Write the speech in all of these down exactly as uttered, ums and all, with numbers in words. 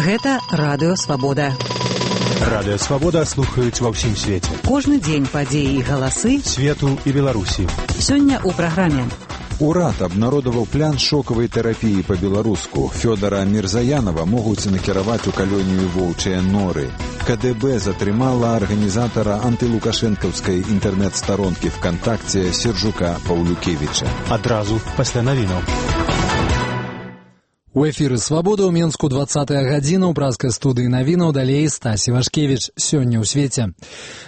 Гэта Радыё Свабода. Радыё Свабода слухаюць ва ўсім свеце. Кожны дзень падзеі і галасы свету і Беларусі. Сёння ў праграме. Урад абнародаваў план шокавай тэрапіі па-беларуску. Фёдара Мірзаянова могуць накіраваць у калонію воўчыя норы. КДБ затрымала арганізатара антылукашэнкаўскай інтэрнэт-старонкі ВКонтакце Сержука Паўлюкевіча. Адразу пасля навінаў. У эфіры «Свабода» ў Менску двадцатая гадзіна, ў празкай студыі навінаў далей Стасі Вашкевіч. Сёння ў свеце.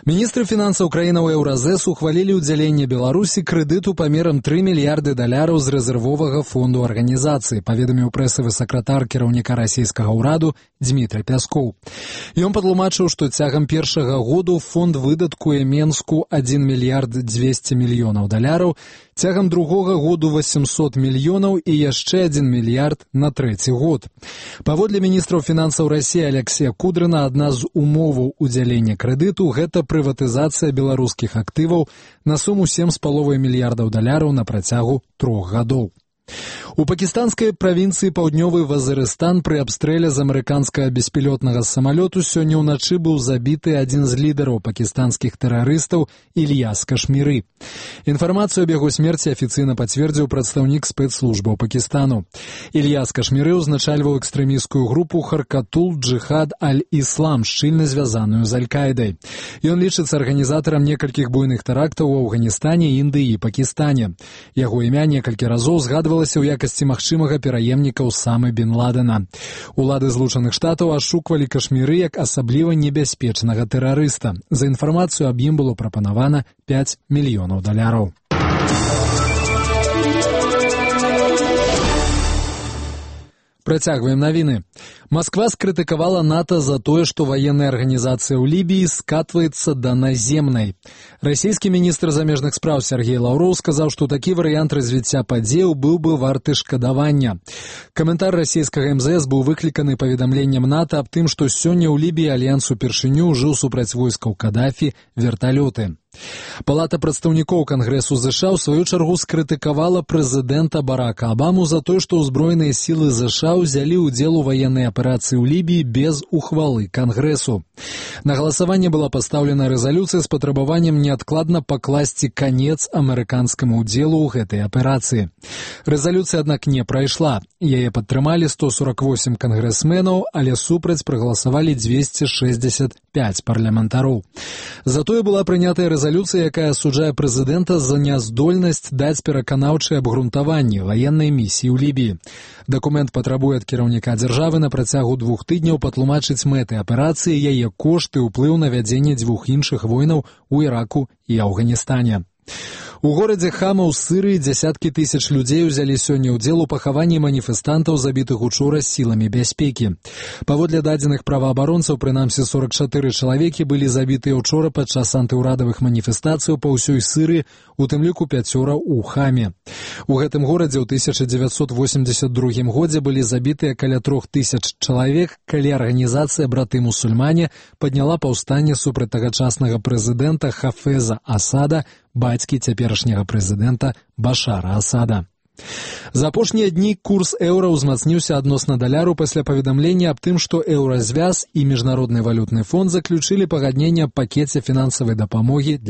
Міністры фінансаў краінаў Еўразэс ухвалілі ўдзяленне Беларусі крэдыту памерам тры мільярды даляраў з рэзервовага фонду арганізацыі, паведаміў прэсавы сакратар кіраўніка расійскага ўраду Дмітрый Пяскоў. Ён патлумачыў, што цягам першага году фонд выдаткуе Менску адзін мільярд дзвесце мільёнаў даляраў, цягам другога году восемьсот мільёнаў і яшчэ адзін мільярд на трэці год. Паводле міністраў фінансаў Расіі Алексея Кудрына, адна з умоваў удзялення крэдыту – гэта прыватызацыя беларускіх актываў на суму сем з паловай мільярдаў даляраў на працягу трох гадоў. У пакістанскай правінцыі Паўднёвы Вазырыстан пры абстрэле з амерыканскага беспілётнага самалёту сёння ўначы быў забіты адзін з лідараў пакістанскіх тэрарыстаў Ільяс Кашміры. Інфармацыю аб яго смерці афіцыйна пацвердзіў прадстаўнік спецслужбаў Пакістану. Ільяс Кашміры ўзначальваў экстрэмісцкую групу Харкатул Джихад Аль-Іслам, шчыльна звязаную з Аль-Кайдай. Ён лічыцца арганізатарам некалькіх буйных тэрактаў у Афганістане, Індыі і Пакістане. Яго імя некалькі разоў згадвалася ў якасці магчымага пераемніка Усамы бен Ладена. Улады Злучаных Штатаў ашуквалі Кашміры як асабліва небяспечнага тэрарыста. За інфармацыю аб ім было прапанавана пяць мільёнаў даляраў. Працягваем навіны. Масква скрытыкавала НАТО за тое, што ваенная арганізацыя ў Лібіі скатваецца да наземнай. Расійскі міністр замежных спраў Сергей Лаўроў сказаў, што такі варыянт развіцця падзеяў быў бы варты шкадавання. Каментар расійскага эм зэ эс быў выкліканы паведамленнем НАТО аб тым, што сёння ў Лібіі альянс упершыню ўжыў супраць войскаў Кадафі верталёты. Палата прадстаўнікоў Кангрэсу ЗША ў сваю чаргу скрытыкавала прэзідэнта Барака Абаму за тое, што ўзброеныя сілы ЗША ўзялі ўдзел у ваеннай аперацыі ў Лібіі без ухвалы Кангрэсу. На галасаванне была пастаўлена рэзалюцыя з патрабаваннем неадкладна пакласці канец амерыканскаму ўдзелу ў гэтай аперацыі. Рэзалюцыя, аднак, не прайшла. Яе падтрымалі сто сорок восем кангрэсменаў, але супраць прагаласавалі дзвесце шэсцьдзесят пяць парламентароў. Затое была прынятая рэзалюцыя, якая асуджае прэзідэнта за няздольнасць даць пераканаўчае абгрунтаванне ваеннай місіі ў Лібіі. Дакумент патрабуе ад кіраўніка дзяржавы на працягу двух тыдняў патлумачыць мэты аперацыі, яе кошты, ўплыў на вядзенне дзвюх іншых войнаў у Іраку і Афганістане. У горадзе Хама ў Сырыі дзясяткі тысяч людзей узялі сёння ўдзел у пахаванні маніфестантаў, забітых учора сіламі бяспекі. Паводле дадзеных праваабаронцаў, прынамсі сорок чатыры чалавекі былі забітыя ўчора падчас антыўрадавых маніфестацыяў па ўсёй Сырыі, у тым ліку пяцёра ў Хаме. У гэтым горадзе ў тысяча дзевяцьсот восемьдзесят другім годзе былі забітыя каля трох тысяч чалавек, калі арганізацыя «Браты-мусульмане» падняла паўстанне супраць тагачаснага прэзідэнта Хафеза Асада, бацькі цяперашняга прэзідэнта Башара Асада. За апошнія дні курс еўра ўзмацніўся адносна даляру пасля паведамлення аб тым, што Еўразвяз і Міжнародны валютны фонд заключылі пагадненне аб пакеце фінансавай дапамогі для